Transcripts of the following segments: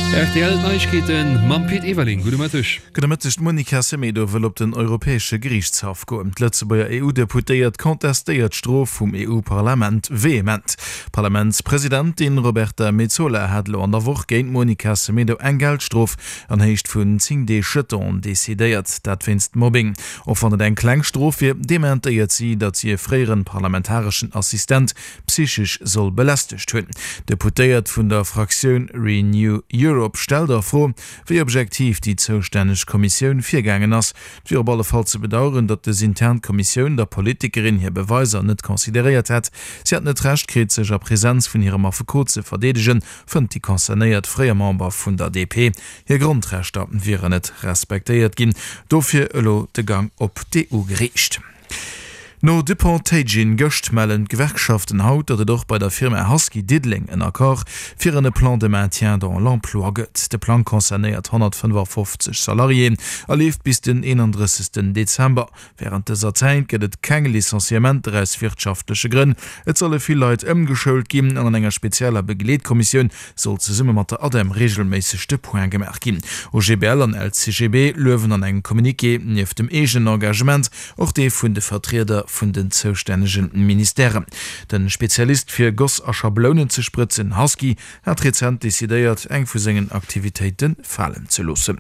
Rtl Neiegkeeten mam Pit Everling. Gudde Mëtteg. Gudde Mëtteg. D'Monica Semedo wëll op den Europäesche Geriichtshaff goen. D'Lëtzebuerger EU-Deputéiert contestéiert d'Strof vum EU-Parlament vehement. D'Parlamentspresidentin Roberta Metsola hat elo an der Woch géint d'Monica Semedo eng Geldstrof an Héicht vun 10 Deeg Jeton decidéiert. Dat wéinst Mobbing. Och wann et eng kleng Strof wier, dementéiert si, datt si e fréieren parlamentareschen Assistent psychesch soll belästegt hunn. D'Deputéiert vun der Fraktioun Renew Europe stellt a Fro, wéi objektiv déi zoustänneg Kommissioun virgaangen ass. Et wier op alle Fall ze bedaueren, datt des intern Kommissioun der Politikerin hir Beweiser net consideréiert hätt. Si hätt net d'Recht kritt, sech a Presenz vun hirem Affekot ze verdeedegen, fënnt déi concernéiert fréier Member vun der DP. Hir Grondrechter wieren net respektéiert ginn. Dofir elo de Gang op d'EU-Geriicht. No Dupont-Teijin gëscht mellen d'Gewerkschaften haut, datt et och bei der Firma Husky Diddeleng en Accord fir en e Plan de maintien dans l'emploi gëtt. De Plang concernéiert 155 Salariéen a leeft bis den 31. Dezember. Wärend dëser Zäit gëtt et keng Licenciementer aus wirtschaftleche Grënn. Et solle vill Leit ëmgeschoult ginn an an enger spezieller Begleetkommissioun soll zesumme mat der ADEM reegelméisseg de Point gemaach ginn. OGBL an LCGB luewen an engem Communiqué nieft dem eegenen Engagement och dee vun de Vertrieder vun den zoustännege Ministèren. De Spezialist fir Goss a Schablounen ze sprëtzen, Husky, hat rezent decidéiert, eng vu sengen Aktivitéite falen ze loossen.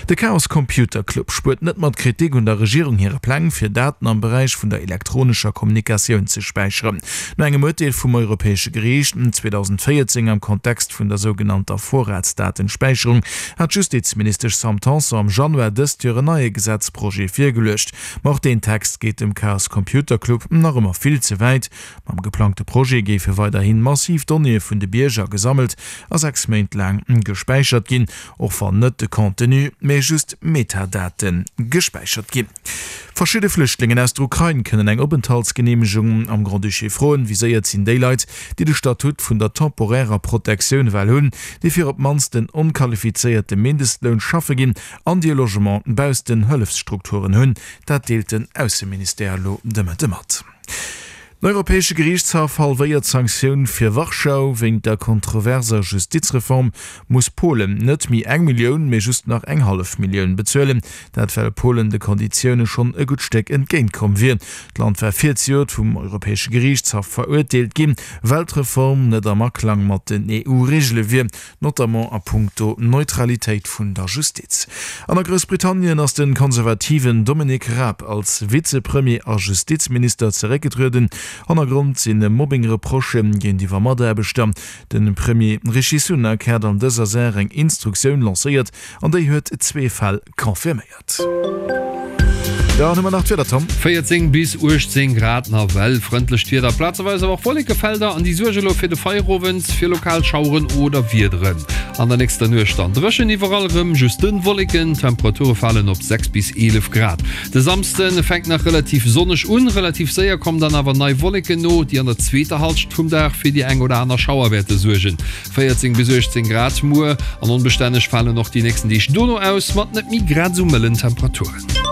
De Chaos Computer Club spuert net mat Kritik un der Regierung hire Pläng, fir Daten am Beräich vun der elektronescher Kommunikatioun ze späicheren. No engem Urteel vum Europäesche Geriicht 2014 am Kontext vun der sougenannter Vorratsdatenspäicherung hat d'Justizministesch Sam Tanson am Januar dëst Joer en neie Gesetzprojet virgeluecht. Ma och deen Text geet dem Chaos Computer Club nach ëmmer vill ze wäit. Mam geplangte Projet géife weiderhi massiv Donnéeë vun de Bierger gesammelt a 6 Méint laang gespäichert ginn, och wann net de Contenu, mee just Metadate gespäichert ginn. Verschidde Flüchtlingen aus der Ukrain kënnen eng Openthaltsgeneemegung am Grand-Duché froen. Viséiert sinn déi Leit, déi de Statut vun der temporärer Protektioun well hunn, déi fir op d'mannst den onqualifizéierte Mindestloun schaffe ginn an déi e Logement bausst den Hëllefsstrukturen hunn. Dat deelt den Ausseministère elo de Mëtte mat. Den Europäesche Geriichtshaff halwéiert d'Sanktioun fir Warschau. Wéint der kontroverser Justizreform muss Polen net méi eng Millioun, mee just nach eng hallef Millioun bezuelen. Dat well Polen de Konditioune schonn e gutt Stéck entgéint komm wier. D'Land war virzejoert vum Europäesche Geriichtshaff verurteelt ginn, well d'Reform net am Aklang mat den EU-Reegele wier. notamment a punkto Neutralitéit vun der Justiz. An a Groussbritannien ass de konservativen Dominic Raab als Vizepremier a Justizminister zeréckgetrueden. Hannergrond si Mobbing-Reprochë géintiwwer Mataarbechter. De Premier Rishi Sunak hat an dëser Saach eng Instruktioun lancéiert an déi huet zwee Fäll confirméiert. Dann hu mer nach d'Wieder, Tom. 14 bis 18 Grad, nawell frëndlecht Wieder, plazeweis awer och Wollekefelder an déi suerge elo fir de Feierowend fir lokal Schaueren oder Wiederen. An der nächster Nuecht dann dréchen, iwwerall erëm just dënn Wolleken, d'Temperature falen op 6 bis 11 Grad. De Samsde fänkt nach relativ sonneg un, relativ séier kommen dann awer nei Wolleken no, déi an der zweeter Hallschent vum Dag fir déi eng oder aner Schauer wäerte suergen. 14 bis 18 Grad muer an onbestänneg falen och déi nächsten Deeg dono aus, mat net méi grad esou mëllen Temperaturen.